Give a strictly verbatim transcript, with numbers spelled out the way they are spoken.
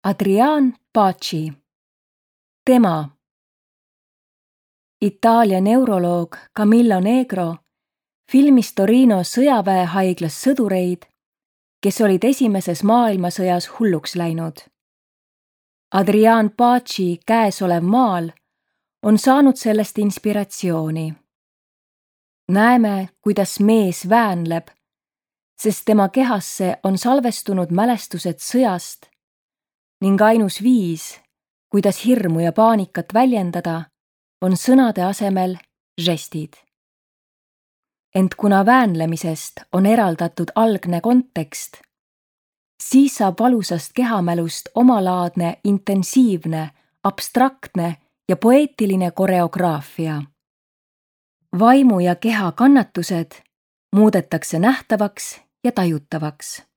Adrian Paci. Tema. Itaalia neuroloog Camillo Negro filmis Torino sõjaväehaiglas sõdureid, kes olid esimeses maailmasõjas hulluks läinud. Adrian Paci käesolev maal on saanud sellest inspiratsiooni. Näeme, kuidas mees väänleb, sest tema kehasse on salvestunud mälestused sõjast ning ainus viis, kuidas hirmu ja paanikat väljendada, on sõnade asemel žestid. Ent kuna väänlemisest on eraldatud algne kontekst, siis saab valusast kehamälust omalaadne, intensiivne, abstraktne ja poeetiline koreograafia. Vaimu ja keha kannatused muudetakse nähtavaks ja tajutavaks.